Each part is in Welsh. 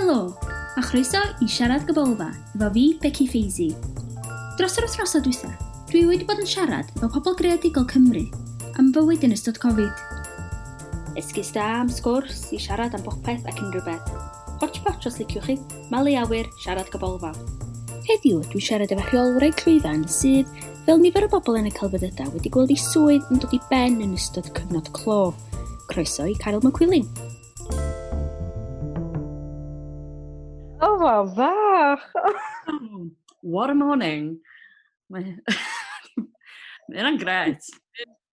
Helo, a chroeso i Siarad Gybolfa efo fi, Becky Feisey. Dros yr wythnosau dwytha, dwi wedi bod yn siarad efo pobl greadigol Cymru am fywyd yn ystod Covid. Esgus da am sgwrs i siarad am bopeth ac unrhyw beth. Hotchpotch os liciwch chi, malu awyr, siarad gybolfa. Heddiw, dwi'n siarad efo rheolwraig llwyfan sydd, fel nifer o bobl yn y celfyddydau, wedi gweld ei swydd yn dod i ben yn ystod cyfnod clo. Croeso i Caryl McQuilling. Oh, wow, fach! Oh, what a morning! Mae hynna'n gret.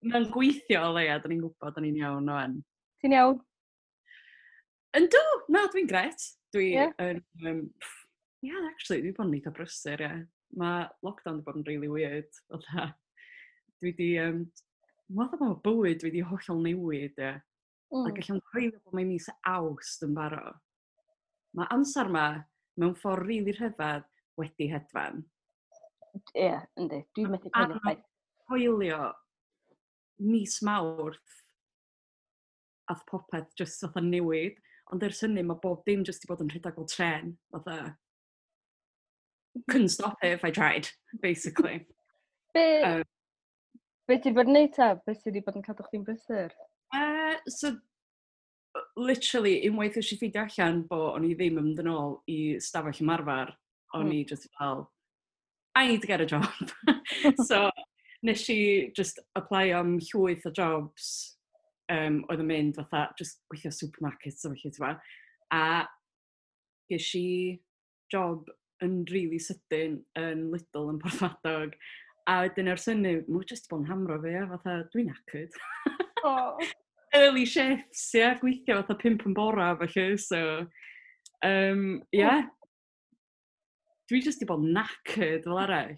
Mae'n gweithio o leia, da ni'n gwybod, da ni'n iawn o'n. Ti'n iawn? Yndw, na, dwi'n gret. Dwi yn... Yeah, actually, dwi wedi bod yn eitha brysur, ie. Yeah. Mae lockdown wedi bod yn really weird. Fatha, dwi wedi... Fatha mae bywyd dwi wedi hollol newid, ie. Ac allai'm coelio bod mae'n mis Awst yn barod. Mae amser ma, mewn ffordd rili rhyfedd, wedi hedfan. Ie, yeah, yndi. Dwi'n methu coelio chwaith. Coelio mis Mawrth ath popeth just fatha newid. Ond ers hynny mae bob dim just 'di bod yn rhedeg fel tren. Fatha, couldn't stop it if I tried, basically. Be ti 'di bod yn neud ta? Be ti 'di bod yn cadw chdi'n brysur? So, literally, unwaith nes i ffeindio allan bo o'n i ddim yn mynd yn ôl i stafell ymarfer, o'n i just fel, "I need to get a job." So, nes i just apply am llwyth o jobs oedd yn mynd fatha, just gweithio supermarkets a felly, ti'n. A ges i job yn really sydyn yn Lidl yn Porthmadog. A wedyn ers hynny, mae'n just bod yn hamro fi, ia, fatha, dwi'n knackered. Oh. Early shifts, ie, yeah, gweithio fatha 5 yn bora, felly, so, yeah. Dwi just 'di bod yn knackered fel arall.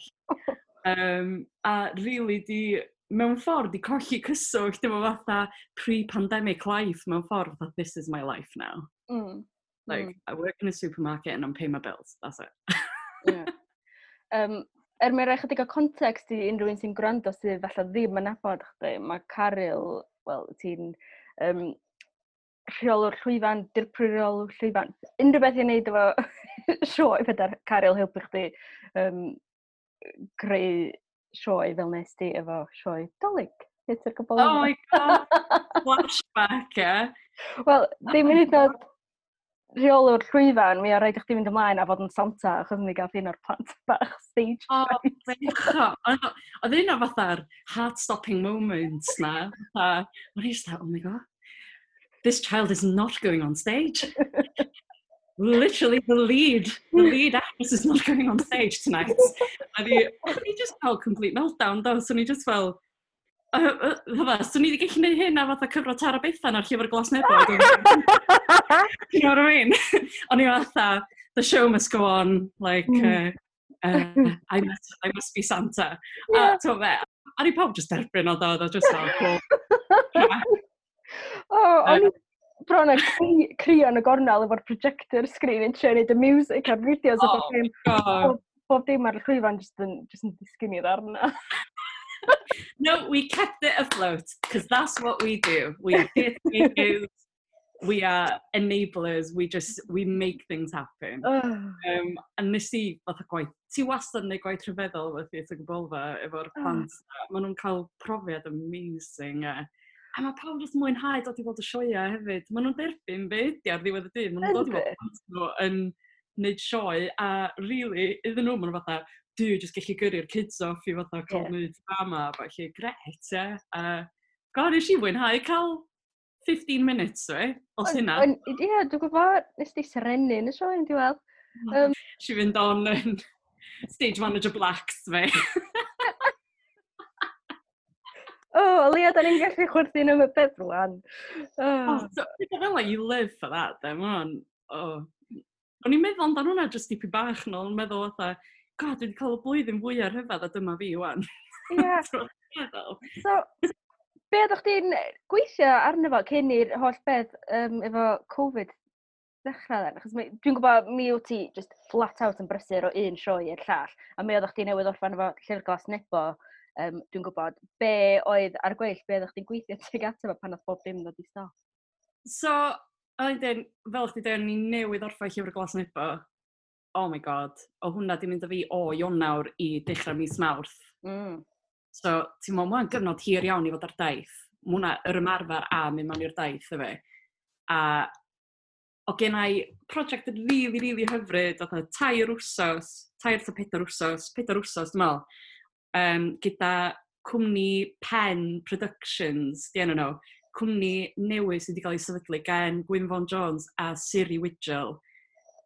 A really di, mewn ffordd, di colli cyswllt efo fatha pre-pandemic life mewn ffordd, fatha this is my life now. Like, I work in a supermarket and I'm paying my bills, that's it. Yeah. Er mwyn rhoi chydig o context i unrhyw un sy'n gwrando sydd falle ddim yn nabod chdi, mae Caryl, wel, ti'n rheolwr llwyfan, dirprwy rheolwr llwyfan, unrhyw beth i wneud efo sioe, fedar Caryl helpu chdi greu sioe fel nes di efo sioe Dolig. Theatr Gybolfa. Oh my God, flashback, yeah. Wel, ddim yn hyd yn oed rheolwr llwyfan, mi o rhaid i chdi fynd ymlaen a fod yn Santa, achos mi gath un o'r plant bach stage fright. Bechod. Oedd un o fatha'r heart-stopping moments na. Fatha, o'n i just like, "Oh my God, this child is not going on stage. Literally the lead actress is not going on stage tonight." A o'n i just fel complete meltdown, do. So o'n i just fel, fatha, swn i wedi gallu gwneud hyn a fatha cyfro Tara Bethan ar Llyfr Glas Nebo. You know what I mean? O'n i fatha, "The show must go on, like, I must be Santa." A ti'n fe, a ni pawb just derbyn o do, oedd o just fel, cool. Oh, o'n i bron a crio yn y gornel efo'r projector screen yn trio neud y music a'r fideos a bob dim. God. Bob dim ar y llwyfan just yn disgyn i ddarna. No, we kept it afloat, because that's what we do. We are theatre makers, we are enablers, we make things happen. Oh. A nes i fatha gwaith, ti wastad yn neud gwaith rhyfeddol efo Theatr Gybolfa, efo'r plant. Maen nhw'n cael profiad amazing. A mae pawb jyst mwynhau dod i weld y sioeau hefyd. Maen nhw'n derbyn be ydi ar ddiwedd y dydd. Maen nhw'n dod i weld plant nhw yn neud sioe, a really, iddyn nhw, maen nhw fatha, dwi jyst gallu gyrru'r kids off i fatha cael neud drama, felly gret, ie. A God, nes i fwynhau cael 15 minutes, we, os hynna. Ie, dwi'n gwybod, nes di serennu yn y sioe yn diwedd. Si fynd on yn stage manager blacks, fe. O, oh, o leia, da ni'n gallu chwerthin am y peth rwan. Oh. Oh, so, pethau fel 'na, you live for that, then, ma' hwnna'n, oh. O'n i'n meddwl amdano hwnna jyst dipyn bach nôl, yn meddwl fatha, God, dwi wedi cael y blwyddyn fwyaf rhyfedd a dyma fi wan. Ti'n meddwl? So, be oeddech chdi'n gweithio arno fo cyn i'r holl beth efo Covid ddechrau then? Achos dwi'n gwybod mi wyt ti just flat out yn brysur o un sioe i'r llall, a mi oeddech chdi newydd orffen efo Llyfr Glas Nebo, dwi'n gwybod be oedd ar gweill, be oeddech chdi'n gweithio tuag ato fo pan oedd bob dim ddod i stop? So, A wedyn, fel chdi dweud, ni newydd orffen Llyfr Glas Nebo. Oh my God, o hwnna di mynd â fi o Ionawr i dechrau mis Mawrth. So, ti'n meddwl, mae'n gyfnod hir iawn i fod ar daith. Mae hwnna yr ymarfer a mynd mewn i'r daith, efe. A o gen i prosiect yn really, really hyfryd, oedd 3 wsos, 3 ta 4 wsos, 4 wsos, dwi'n meddwl, gyda cwmni Pen Productions, di enw nhw, cwmni newydd sydd wedi cael ei sefydlu gan Gwyn Vaughan Jones a Siri Widgell.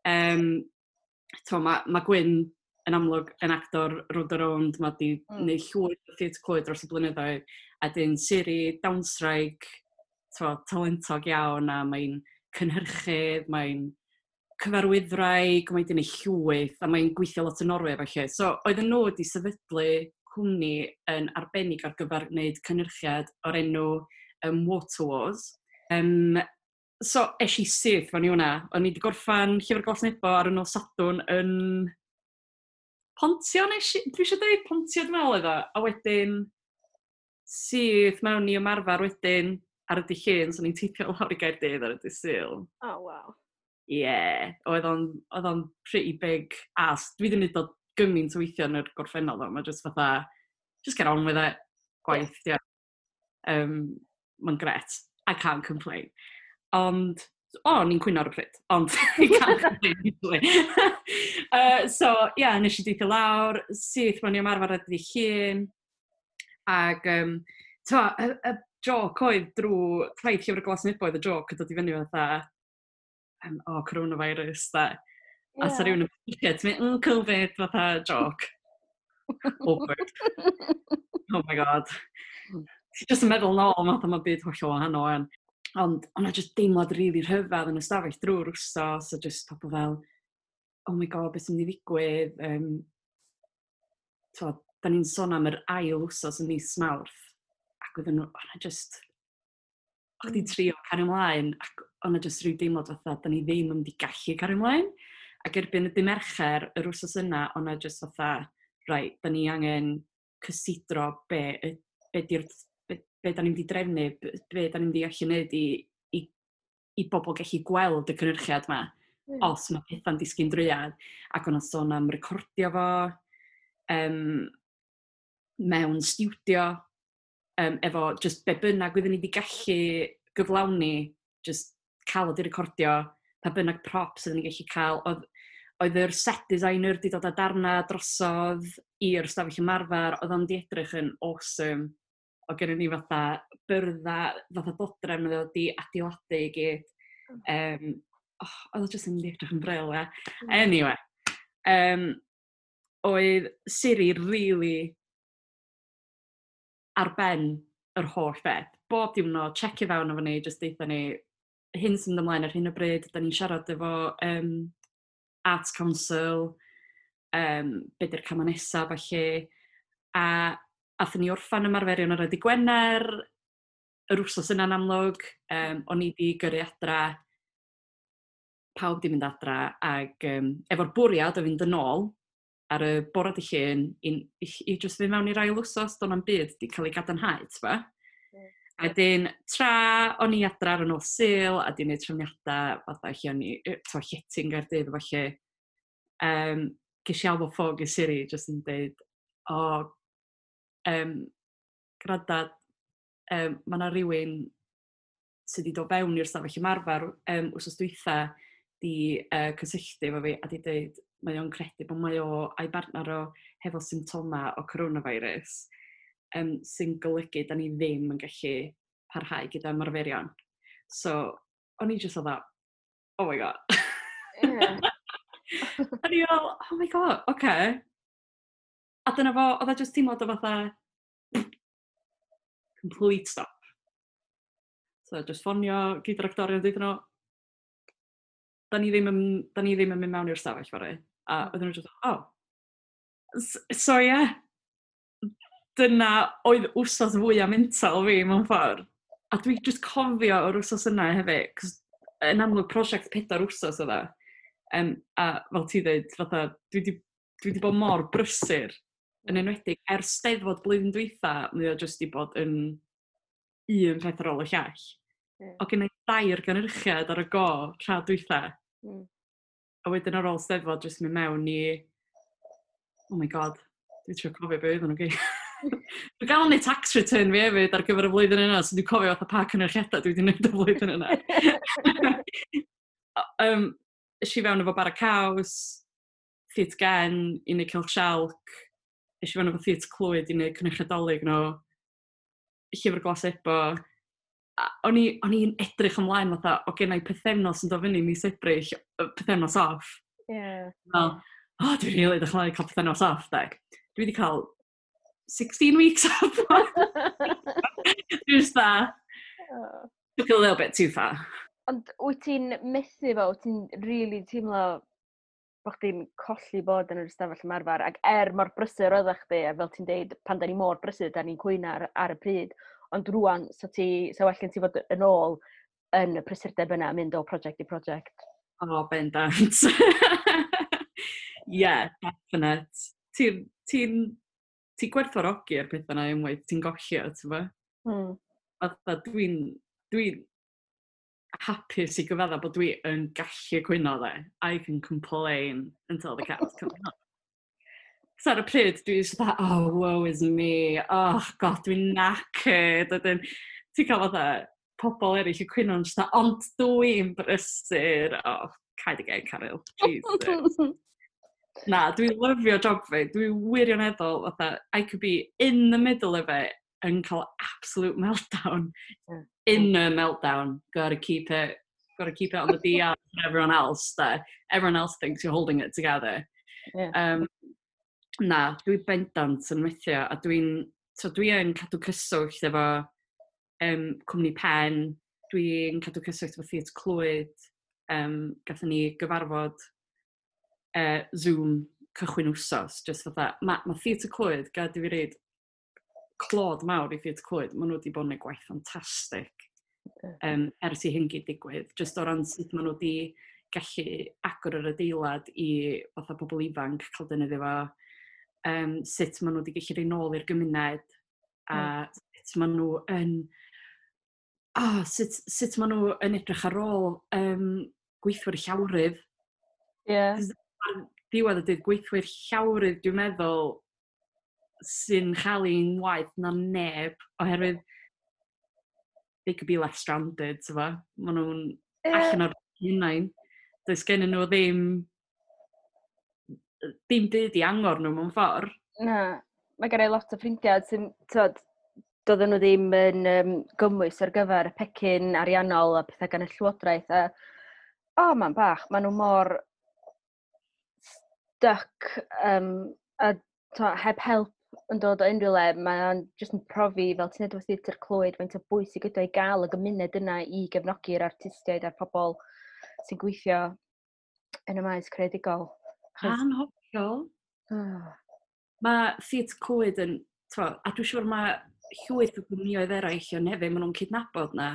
Mae Gwyn yn amlwg yn actor Rownd a Rownd, mae di neud llwyth o Theatr Clwyd dros y blynyddoedd, a dyn Siri, dawnswraig, talentog iawn, a mae'n cynhyrchydd, mae'n cyfarwyddwraig, mae'n di neud llwyth, a mae'n gweithio lot yn Norway felly. So, oedden nhw wedi sefydlu cwmni yn arbennig ar gyfer gwneud cynhyrchiad o'r enw Water Wars. So, es i syth fan i hwnna. O'n i wedi gorffan Llyfr Glas Nebo ar y nos Sadwrn yn Pontio, nes i, dwi eisiau dweud Pontio dwi'n meddwl oedd o. A wedyn, syth mewn i ymarfer wedyn ar y dydd Llun, so ni'n teithio lawr i Gaerdydd ar y dydd Sul. Oh, wow. Ie, yeah, oedd o'n pretty big ask. Dwi wedi gwneud o gymaint o weithio yn yr gorffennol ddo. Mae just fatha, just get on with it. Gwaith, ie. Yeah. Mae'n gret. I can't complain. Ond, o, oh, ni'n cwyno ar y pryd, ond I can't complain usually. So, ie, yeah, nes i deithio lawr, syth mewn i ymarfer ar dydd Llun, ac, y, y joc oedd drwy taith Llyfr Glas Nebo oedd y joc yn dod i fyny fatha, oh, coronavirus, da. Yeah. A sa rhywun yn mynd, ti'n mynd, Covid, fatha joc. Awkward. Oh my God. Ti'n just yn meddwl nôl, fatha mae byd hollol wahanol wan. Ond o'na just deimlad rili really rhyfedd yn y stafell drwy'r wsos, a just pobl fel, "Oh my God, beth sy'n mynd i ddigwydd?" T'wo, da ni'n sôn am yr ail wsos yn mis Mawrth, ac oedden nhw, o'na just, o'ch chdi'n trio cario ymlaen, ac o'na just rhyw deimlad fatha, da ni ddim yn mynd i gallu cario ymlaen. Ac erbyn y dydd Mercher, yr wsos yna, o'na just fatha, right, da ni angen cysidro be da ni'n mynd i drefnu, be da ni'n mynd i allu wneud i bobl gallu gweld y cynhyrchiad yma, os mae pethau'n disgyn drwyad. Ac o'na sôn am recordio fo mewn stiwdio, efo just be bynnag oedden ni wedi gallu gyflawni, just cael o di recordio, pa bynnag props oedden ni gallu cael. Oedd yr set designer wedi dod â darna drosodd i'r stafell ymarfer, oedd o'n di edrych yn awesome. O gennym ni fatha byrdda, fatha dodrefn oedd wedi adeiladu i gyd. Oh, oedd o jyst yn mynd i edrych yn bril, ie. Anyway, oedd Siri really ar ben yr holl beth. Bob diwrnod, checio fewn efo ni, just deitha ni, hyn sy'n mynd ymlaen ar hyn o bryd, da ni'n siarad efo Arts Council, be di'r camau nesaf, falle. A athyn ni orffan ymarferion ar y dydd Gwener, yr wsos yna'n amlwg, o'n i di gyrru adra, pawb di mynd adra, ac efo'r bwriad o fynd yn ôl ar y bore dydd Llun i just fynd mewn i'r ail wsos, do'n na'm byd di cael ei gadarnhau, t'bo? A wedyn, tra o'n i adra ar y nos Sul, a di wneud trefniadau fatha lle o'n i, t'bo, llety yn Gaerdydd, falle, ges i alw ffôn i Siri, jyst yn dweud, "O, grada, mae yna rhywun sydd wedi dod fewn i'r stafell ymarfer wsos dwytha di cysylltu efo fi a di dweud mae o'n credu bod mae o a'i bartner o hefo symptoma o coronavirus, sy'n golygu da ni ddim yn gallu parhau gyda ymarferion." So, o'n i just oedd, "Oh my God." A ni fel, "Oh my God, oce." Okay. A dyna fo, oedd e just teimlad o fatha, complete stop. So, just ffonio gyda'r actorion, dweud nhw, da ni ddim yn mynd mewn i'r stafell fory." A oedden nhw just, "Oh." So, ie, yeah, dyna oedd wsos fwyaf mental fi mewn ffordd. A dwi just cofio o'r wsos yna hefyd, cos yn amlwg prosiect 4 wsos oedd e. A fel ti dweud, fatha, dwi di bod mor brysur, yn enwedig ers Steddfod blwyddyn dwytha, mae o jyst di bod yn un peth ar ôl y llall. O gen i dair gynhyrchiad ar y go tra dwytha. A wedyn ar ôl Steddfod, jyst mynd mewn i... Oh my God, dwi'n trio cofio beth oedden nhw gyd. Dwi'n gael neud tax return fi hefyd ar gyfer y flwyddyn yna, so dwi'n cofio fatha pa cynyrchiadau dwi wedi gwneud y flwyddyn yna. Es i fewn efo Bara Caws, Theatr Gen i wneud Cylch Sialc, es i fewn efo Theatr Clwyd i wneud cynyrchiad Dolig nhw, Llyfr Glas Nebo. A o'n i'n edrych ymlaen fatha, o gen i pythefnos yn dod fyny mis Ebrill, pythefnos off. Fel, oh, dwi'n rili edrych ymlaen i cael pythefnos off, de. Dwi wedi cael 16 weeks off. Dwi'n just that. Oh. Took it a little bit too far. Ond wyt ti'n methu fo, wyt ti'n really teimlo bod chdi'n colli bod yn yr ystafell ymarfer, ac er mor brysur oeddech chdi, a fel ti'n deud, pan da ni mor brysur, da ni'n cwyno ar y pryd, ond rwan, sa well gen ti fod yn ôl yn y prysurdeb yna, mynd o prosiect i prosiect. Oh, bendant. Yeah, definite. Ti'n ti, ti gwerthfawrogi'r pethau yna unwaith ti'n golli o, ti'n bo? Fatha dwi hapus i gyfadda bod dwi yn gallu cwyno, dde. I can complain until the cows come home. So ar y pryd, dwi'n just fatha, "Oh, woe is me. Oh, God, dwi'n knackered." Wedyn, ti'n cael fatha pobl eraill yn cwyno yn just fatha, "Ond dwi'n brysur." Oh, cau dy geg, Caryl. Jesus. Na, dwi'n lyfio job fi. Dwi'n wirioneddol, fatha, I could be in the middle of it yn cael absolute meltdown. Inner meltdown. Gotta keep it on the DL for everyone else. There. Everyone else thinks you're holding it together. Na, dwi bendant yn methu a so dwi yn cadw cyswllt efo Cwmni Pen, dwi'n cadw cyswllt efo Theatr Clwyd, gathon ni gyfarfod Zoom cychwyn wsos, just fatha, ma Theatr Clwyd, gad i fi reid clod mawr i Theatr Clwyd, maen nhw wedi bod yn gwneud gwaith ffantastig ers i hyn gyd digwydd, just o ran sut maen nhw wedi gallu agor yr adeilad i fatha pobl ifanc cael defnyddio fo, sut maen nhw wedi gallu rhoi nôl i'r gymuned, a sut maen nhw yn oh, sut maen nhw yn edrych ar ôl gweithwyr llawrydd. Ar diwedd y dydd, gweithwyr llawrydd, dwi'n meddwl, sy'n cael ein waeth na neb, oherwydd they could be left stranded, ti'n fo? Maen nhw'n allan o'r hunain. Does gen nhw ddim byd i angor nhw mewn ffordd. Na, mae gen i lot o ffrindiau sy'n, t'wod, doedden nhw ddim yn gymwys ar gyfer y pecyn ariannol a pethau gan y llywodraeth. A, o, oh, man bach, maen nhw mor stuck a to, heb help yn dod o unrhyw le, mae'n jyst yn profi, fel ti'n edrych Theatr Clwyd, faint o bwysig ydy o i gael y gymuned yna i gefnogi'r artistiaid a'r pobl sy'n gweithio yn y maes creadigol. Anhygoel. Oh. Mae Theatr Clwyd yn, t'mo, a dwi'n siŵr mae llwyth o gwmnïoedd eraill yn hefyd, maen nhw'n cydnabod na,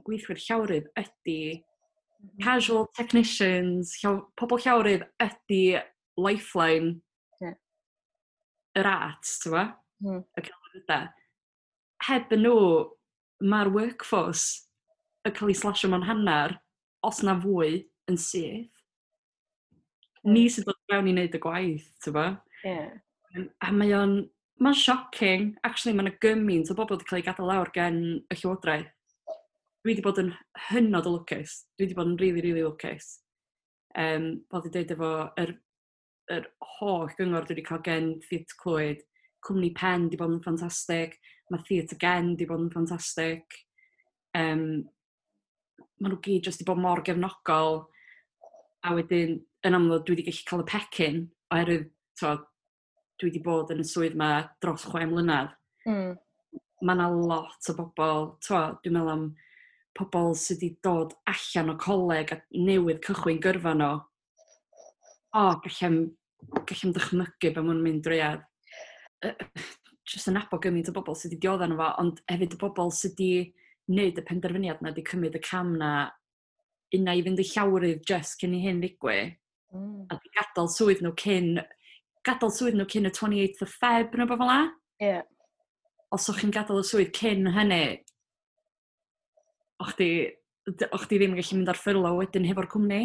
gweithwyr llawrydd ydy casual technicians, pobl llawrydd ydy lifeline yr arts, ti'n bo? Y celfyddydau. Heb yn nhw, mae'r workforce yn cael ei slasio mewn hanner, os na fwy, yn syth. Ni sydd dod fewn i wneud y gwaith, ti'n bo? A mae'n shocking. Actually, mae'n gymaint o bobl wedi cael ei gadael lawr gen y llywodraeth. Dwi wedi bod yn hynod o lwcus. Dwi wedi bod yn really, really lwcus. Fel dwi'n dweud efo yr holl gyngor dwi wedi cael gen Theatr Clwyd, Cwmni Pen wedi bod yn ffantastig, mae Theatr Gen wedi bod yn ffantastig. Maen nhw gyd jyst wedi bod mor gefnogol. A wedyn, yn amlwg, dwi wedi gallu cael y pecyn, oherwydd, t'mo, dwi wedi bod yn y swydd ma dros 6 mlynedd. Mae yna lot o bobl, t'mo, dwi'n meddwl am pobl sydd wedi dod allan o coleg a newydd cychwyn gyrfa nhw. O, gallai'm dychmygu be maen nhw'n mynd drwy a jyst yn nabod gymaint o bobl sydd wedi diodda nhw fo, ond hefyd y bobl sydd wedi wneud y penderfyniad na, wedi cymryd y cam na, una i fynd i llawrydd just cyn i hyn ddigwydd, a di gadael swydd nhw cyn y 28th of Feb neu beth fel 'na. Os o'ch chi'n gadael y swydd cyn hynny, O'ch chdi ddim yn gallu mynd ar furlough wedyn hefo'r cwmni.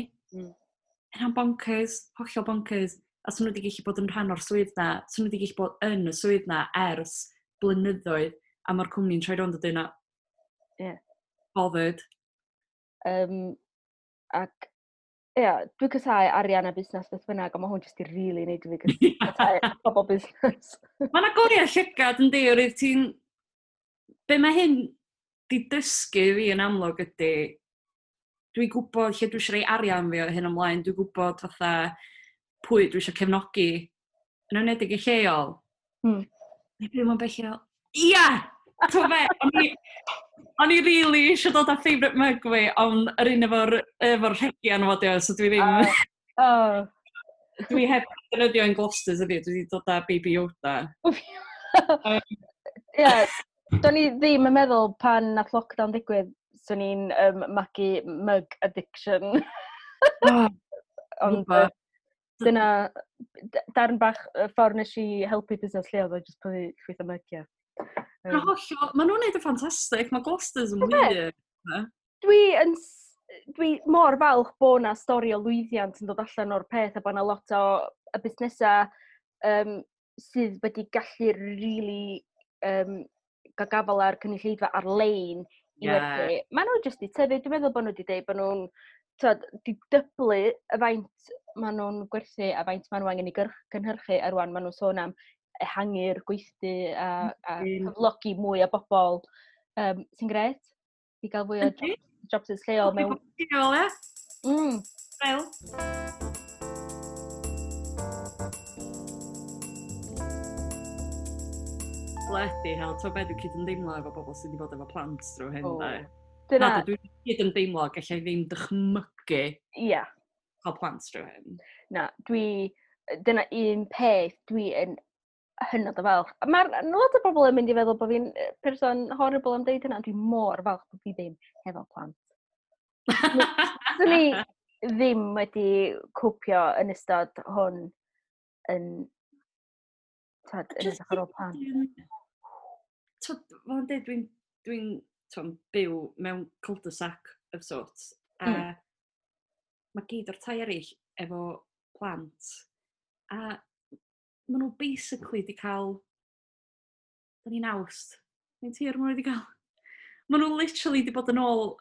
Hynna'n bonkers, hollol bonkers. A swn nhw wedi gallu bod yn rhan o'r swydd na, swn nhw wedi gallu bod yn y swydd na ers blynyddoedd, a mae'r cwmni'n troi rownd a dweud na, bothered. Ac, ie, yeah, dwi'n casáu arian a busnes beth bynnag, ond mae hwn jyst i really neud i fi casáu pobl busnes. Mae'n agoriad llygad yn di, oherwydd ti'n... Be mae hyn di dysgu fi yn amlwg ydy, dwi'n gwybod lle dwi eisiau rhoi arian fi o hyn ymlaen, dwi'n gwybod fatha pwy dwi eisiau cefnogi, yn enwedig y lleol. Neu byw mewn beth lleol. Ia! T'o be, o'n i really eisiau dod â favourite mug fi, ond yr un efo'r rhegi arno fo, so dwi ddim... Dwi heb defnyddio yn Gloucesters ydi, dwi wedi dod â Baby Yoda. Ie, do'n i ddim yn meddwl pan nath lockdown digwydd, swn i'n magu mug addiction. Ond dyna darn bach y ffordd nes i helpu busnes lleol, oedd jyst prynu llwyth o mygiau. Mae nhw'n neud yn ffantastig, mae Gloucesters yn wir. Dwi mor falch bod na stori o lwyddiant yn dod allan o'r peth a bod na lot o y busnesau sydd wedi gallu really gael gafel ar cynulleidfa ar-lein i werthu. Maen nhw jyst i tyfu. Dwi'n meddwl bod nhw wedi dweud bod nhw'n di dyblu y faint maen nhw'n gwerthu a faint maen nhw angen i gynhyrchu a rwan maen nhw'n sôn am ehangu'r gweithdy a cyflogi mwy o bobl sy'n gret i gael fwy o jobs lleol mewn... Lleol, ie? Fel. Bloody hell, ti'n beth dwi'n cyd-ymdeimlo efo bobl sydd wedi bod efo plant drwy hyn, de. Dyna... Na, dwi'n cyd-ymdeimlo, gallai ddim dychmygu cael plant drwy hyn. Na, dyna un peth dwi yn hynod o falch. Mae'r lot o bobl yn mynd i feddwl bod fi'n person horrible am deud hynna, ond dwi mor falch bod fi ddim hefo plant. Swn i ddim wedi cwpio yn ystod hwn yn, tad, yn edrych ar ôl plant. Twyd, fel yn dweud, dwi'n byw mewn cul-de-sac of sorts. A mae gyd o'r tai eraill efo plant. A maen nhw basically di cael... Da ni'n Awst. Mae'n tir maen nhw wedi cael. Maen nhw literally di bod yn ôl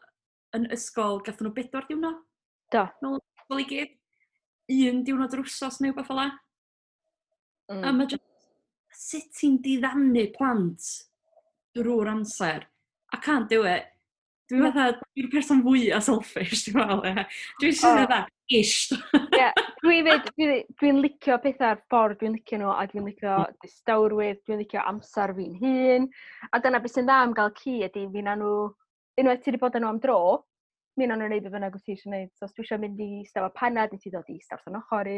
yn ysgol, gathon nhw 4 diwrnod. Do. Nôl ysgol i gyd. 1 diwrnod yr wsos neu wbath fel 'a. A mae just, sut ti'n diddanu plant drwy'r amser? I can't do it. Dwi'n fatha, dwi'n person fwyaf selfish, dwi'n meddwl, ie. Dwi'n sy'n fatha, ish. Ie, dwi'n licio pethau'r ffordd dwi'n licio nhw, a dwi'n licio distawrwydd, dwi'n licio amser fi'n hun. A dyna beth sy'n dda am gael ci ydy, fi na nhw, unwaith ti wedi bod â nhw am dro, mi na nhw'n neud be bynnag wyt ti eisiau neud. So os dwi eisiau mynd i eistedd efo panad, neu ti ddod i eistedd wrth yn ochr i,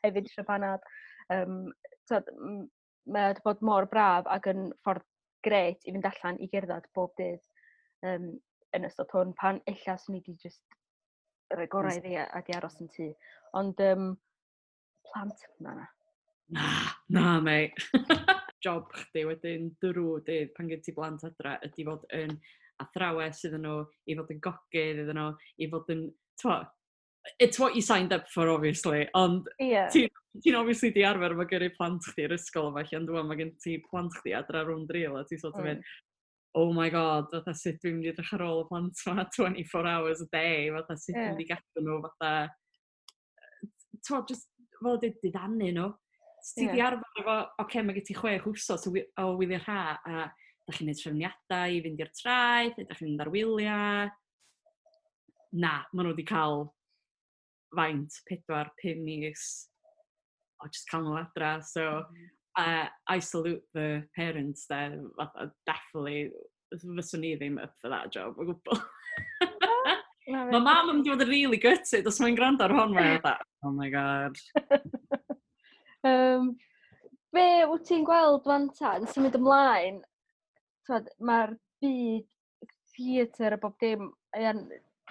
hefyd eisiau panad. Mae wedi bod mor braf ac yn ffordd gret i fynd allan i gerdded bob dydd yn ystod hwn, pan ella swn i wedi just rhoi gorau iddi a di aros yn tŷ. Ond plant, na. Na, na, mate. Job chdi wedyn drwy dydd pan gen ti blant adra ydy fod yn athrawes iddyn nhw, i fod yn gogydd iddyn nhw, i fod yn, t'mo, it's what you signed up for, obviously, ond ti'n obviously di arfer efo gyrru plant chdi i'r ysgol yma, lle ond mae gen ti plant chdi adra rownd rîl, a ti sort of mynd, oh my god, fatha sut dwi'n mynd i edrych ar ôl y plant yma 24 hours a day, fatha sut dwi'n mynd i gadw nhw, fatha, t'mo, just fel dweud, diddanu nhw. So ti di arfer efo, oce, mae gen ti 6 wsos o wyliau ha, a da chi'n neud trefniadau i fynd i'r traeth, neu da chi'n mynd ar wyliau. Na, maen nhw wedi cael faint, 4-5 mis o just cael nhw adra. So, I salute the parents there. Fatha, definitely, fyswn i ddim up for that job o gwbl. Na, Mae mam yn mynd i fod yn really gutted os mae'n gwrando ar hwn, mae'n fatha, oh my god. Be wyt ti'n gweld fan ta, yn symud ymlaen, t'wod, mae'r byd theatr a bob dim,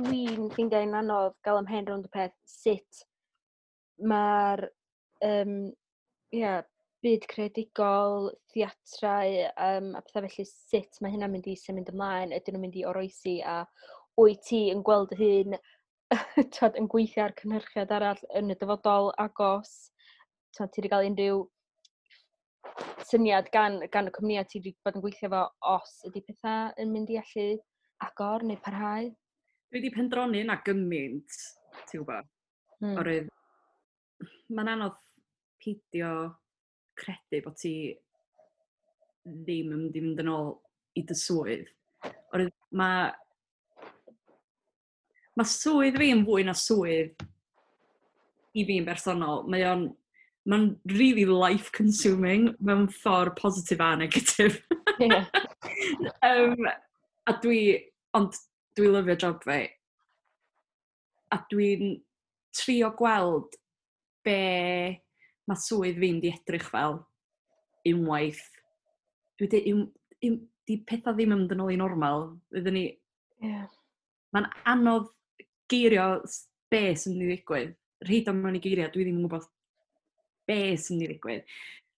dwi'n ffeindio hi'n anodd gael ymhen rownd y peth sut mae'r Byd creadigol, theatrau a pethau felly, sut mae hynna'n mynd i symud ymlaen, ydyn nhw'n mynd i oroesi, a wyt ti yn gweld dy hun, twod, yn gweithio ar cynhyrchiad arall yn y dyfodol agos, twod, ti wedi cael unrhyw syniad gan y cwmnïau ti wedi bod yn gweithio fo os ydy pethau yn mynd i allu agor neu parhau? Dwi wedi pendroni yna gymaint, ti'n gwybod. Oherwydd, mae'n anodd peidio credu bod ti ddim yn mynd i fynd yn ôl i dy swydd. Oherwydd mae swydd fi yn fwy na swydd i fi'n bersonol. Mae'n really life-consuming mewn ffordd positif a negatif. Ond dwi lyfio job fi. A dwi'n trio gweld be mae swydd fi'n di edrych fel unwaith. Dwi dweud, di pethau ddim yn mynd yn ôl i normal. Fydden ni. Mae'n anodd geirio be sy'n mynd i ddigwydd. Rhaid o mewn i geiriau, dwi ddim yn gwybod be sy'n mynd i ddigwydd.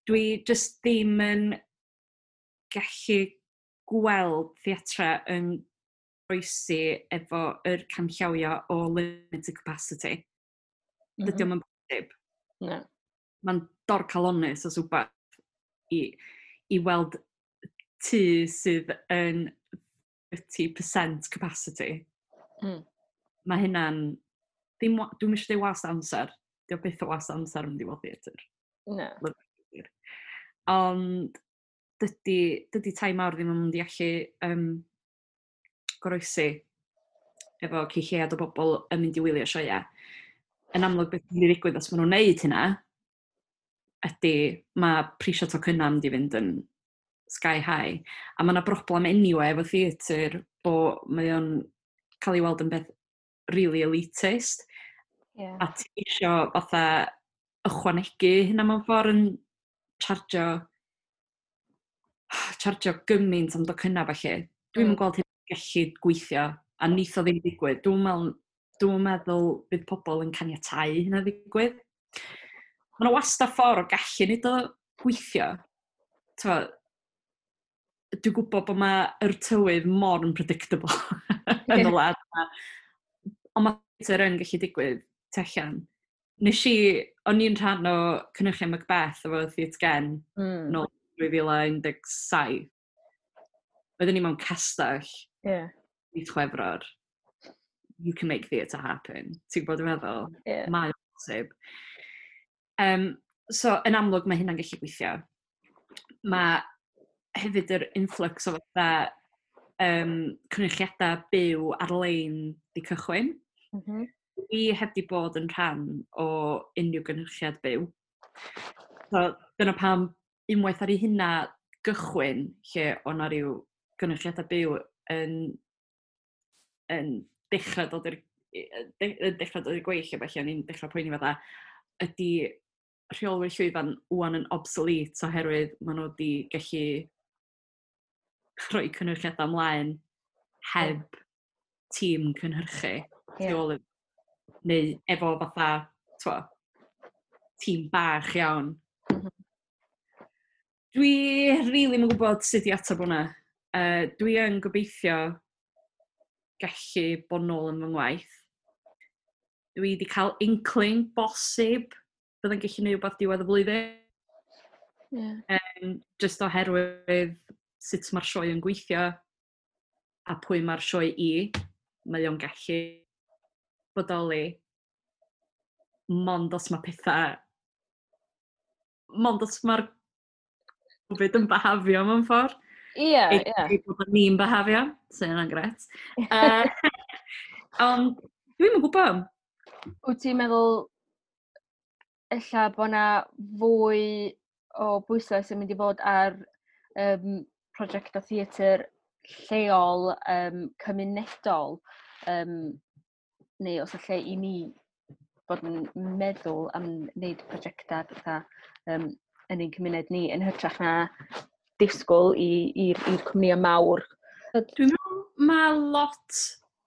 Dwi just ddim yn gallu gweld theatra yn goroesi efo yr canllawiau o limited capacity. Dydy o'm yn bosib. Na. Mae'n dorcalonnus os wbath i weld tŷ sydd yn 30% capacity. Mae hynna'n... Ddim, dwi'm eisiau dweud wast amser. Dio byth o wast amser yn mynd i weld theatr. Na. Ond dydy tai mawr ddim yn mynd i allu goroesi efo cyn lleiad o bobl yn mynd i wylio sioeau. Yn amlwg, beth sy'n mynd i ddigwydd os maen nhw'n neud hynna ydy mae prisio tocynnau mynd i fynd yn sky high. A mae yna broblem anyway efo theatr bo mae o'n cael ei weld yn beth really elitist. A ti isio fatha ychwanegu hynna mewn ffordd yn chargio gymaint am docynnau falle. Dwi'm yn gweld hyn gallu gweithio a neith o ddim digwydd. Dwi'm meddwl bydd pobl yn caniatáu hynna ddigwydd. Mae yna wastad ffordd o gallu neud o gweithio. T'mo, dwi'n gwybod bod mae'r tywydd mor unpredictable yn y wlad yma. Ond mae theatr yn gallu digwydd tu allan. O'n i'n rhan o cynhyrchiad Macbeth efo Theatr Gen nôl 2017. Oedden ni mewn castell mis Chwefror. You can make theatre happen. Ti'n gwybod dwi'n meddwl? Mae o'n bosib. So, yn amlwg mae hynna'n gallu gweithio. Mae hefyd yr influx o fatha cynyrchiadau byw ar-lein di cychwyn. Dwi heb di bod yn rhan o unrhyw gynhyrchiad byw. So, dyna pam unwaith ar ei hynna gychwyn lle o na ryw gynhyrchiadau byw yn dechrau dod i'r gweill a felly o'n i'n dechrau poeni fatha ydy rheolwyr llwyfan wan yn obsolete oherwydd maen nhw wedi gallu rhoi cynhyrchiadau ymlaen heb tîm cynhyrchu tu ôl neu efo fatha, t'mo, tîm bach iawn. Dwi rili ddim yn gwybod sut i ateb hwnna. Dwi yn gobeithio gallu bod nôl yn fy ngwaith. Dwi wedi cael inkling bosib byddai'n gallu gwneud rhywbeth diwedd y flwyddyn. Just oherwydd sut mae'r sioe yn gweithio a pwy mae'r sioe i, mae o'n gallu bodoli mond os mae'r Covid yn behafio mewn ffordd. Ei bod ni'n behafio, sy'n yna'n gret. Ond dwi'm yn gwybod. Wyt ti'n meddwl ella bod 'na fwy o bwyslais yn mynd i fod ar prosiectau theatr lleol, cymunedol, neu os y lle i ni bod yn meddwl am wneud prosiectau fatha yn ein cymuned ni yn hytrach na disgwyl i'r cwmnïau mawr? Dwi'n meddwl mae lot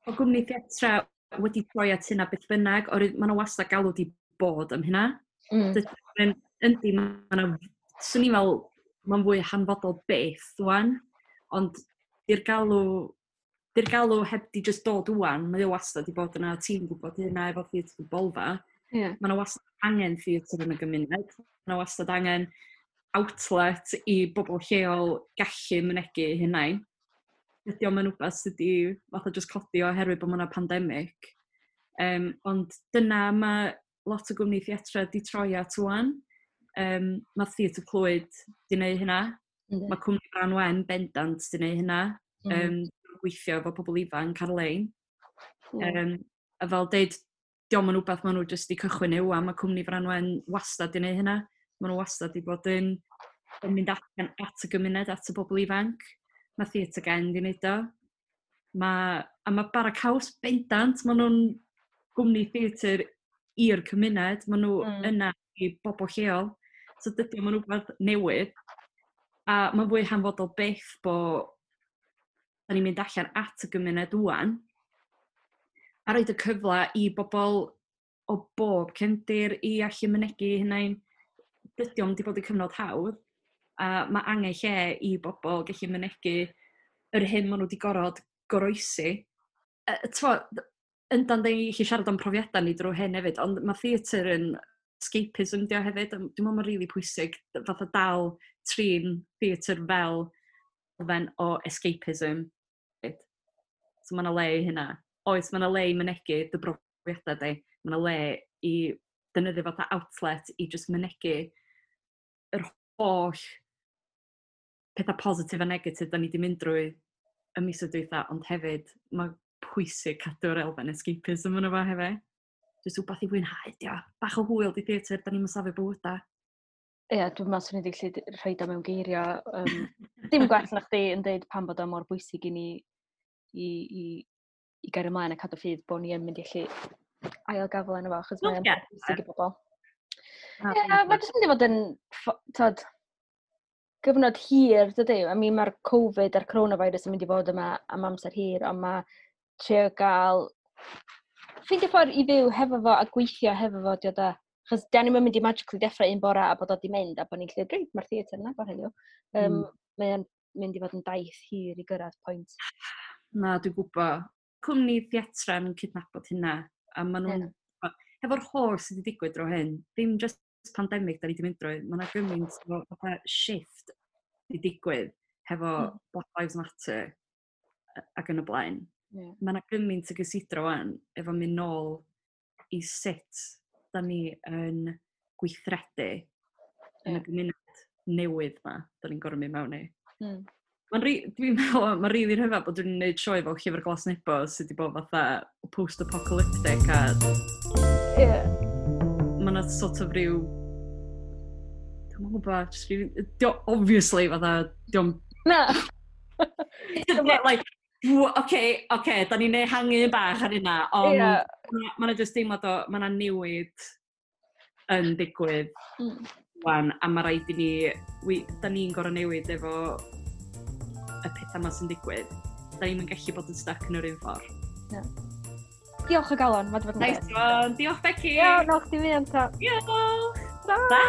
o gwmni theatra wedi troi at hynna beth bynnag, oherwydd maen nhw wastad galw di bod am hynna. Yndi, mae yna Swn i'n meddwl, mae'n fwy hanfodol beth wan, ond di'r galw heb di just dod wan, mae o wastad di bod yna, ti'n gwybod hynna efo Theatr Bolfa. Yeah. Mae yna wastad angen theatr yn y gymuned, mae yna wastad angen outlet i bobl lleol gallu mynegu hunain. Ydy o'm yn wbeth sydd wedi fatha just codi oherwydd bod yna pandemig. Ond dyna mae lot o gwmni theatra di troi at wan. Mae Theatr Clwyd di wneud hynna. Mae Cwmni Brân Wen bendant di wneud hynna. Gweithio efo pobl ifanc ar-lein. A fel deud, dio'm yn wbeth maen nhw jyst di cychwyn yw, a mae Cwmni Frân Wen wastad di wneud hynna. Maen nhw wastad di bod yn mynd allan at y gymuned, at y bobl ifanc. Mae Theatr Gen di wneud o. A mae Bara Caws bendant, maen nhw'n gwmni theatr i'r cymuned, maen nhw yna i bobl lleol. So dydy o'm yn rhywbeth newydd. A mae'n fwy hanfodol byth bod da ni'n mynd allan at y gymuned wan a roed y cyfle i bobl o bob cefndir i allu mynegu hunain. Dydy o'm di bod yn cyfnod hawdd, a mae angen lle i bobl gallu mynegu yr hyn maen nhw wedi gorfod goroesi. Yndan, da ni gallu siarad am profiadau ni drwy hyn hefyd, ond mae theatr yn escapism dio hefyd. Dwi'n meddwl mae'n rili pwysig fatha dal trin theatr fel elfen o escapism. So mae yna le i hynna. Oes, mae yna le i mynegu dy brofiadau di. Mae yna le i defnyddio fatha outlet i just mynegu yr holl pethau positif a negatif da ni wedi mynd drwy y misoedd dwytha, ond hefyd mae pwysig cadw'r elfen escapism yna fo hefyd. Jyst rhywbeth i fwynhau, dio. Bach o hwyl di theatr, da ni'n safio bywydau. Ie, yeah, dwi'n meddwl swn i wedi gallu rhoi o mewn geiriau. Dim gwell na chdi yn dweud pam bod o mor bwysig i ni i gario ymlaen a cadw ffydd bod ni yn mynd i allu ail gafel yna fo, achos mae'n bwysig i bobl. Ie, yeah, mae jyst mynd i fod yn, tod, gyfnod hir, dydy. I mean, mae'r Covid a'r coronavirus yn mynd i fod yma am amser hir, ond mae trio gael ffeindio ffordd i fyw hefo fo a gweithio hefo fo, dio da. Chos da ni'n mynd i magically deffro un bora a bod o di mynd a bod ni'n lle, reit, mae'r theatr yna agor heddiw. Mae'n mynd i fod yn daith hir i gyrraedd pwynt. Na, dwi'n gwybod. Cwmni theatra'n cydnabod hynna. A maen nhw'n... Yeah. Hefo'r holl sydd wedi digwydd dro hyn, ddim just pandemig da ni wedi mynd drwy, mae yna gymaint o fatha shift wedi digwydd hefo Black Lives Matter ac yn y blaen. Mae yna gymaint o gysidro wan efo mynd nôl i sut da ni yn gweithredu yn y gymuned newydd ma da ni'n gorfod mynd mewn i. Dwi'n meddwl, mae'n rili rhyfedd bod dwi'n gwneud sioe fel Llyfr Glas Nebo sydd wedi bod fatha post-apocalyptic a mae yna sort of ryw, dwi'n gwybod, just ryw, obviously fatha, dio'm Na. Like, oce, da ni'n ehangu bach ar hynna, ond mae yna just deimlad o, mae yna newid yn digwydd wan, a mae rhaid i ni, da ni'n gorfod newid efo y pethau yma sy'n digwydd. Da ni'n gallu bod yn stuck yn yr un ffordd. Na. Diolch o galon, mae wedi bod yn Nice one. Diolch, Becky. Iawn, no, chdi fi ta. Diolch. Ta. Ta.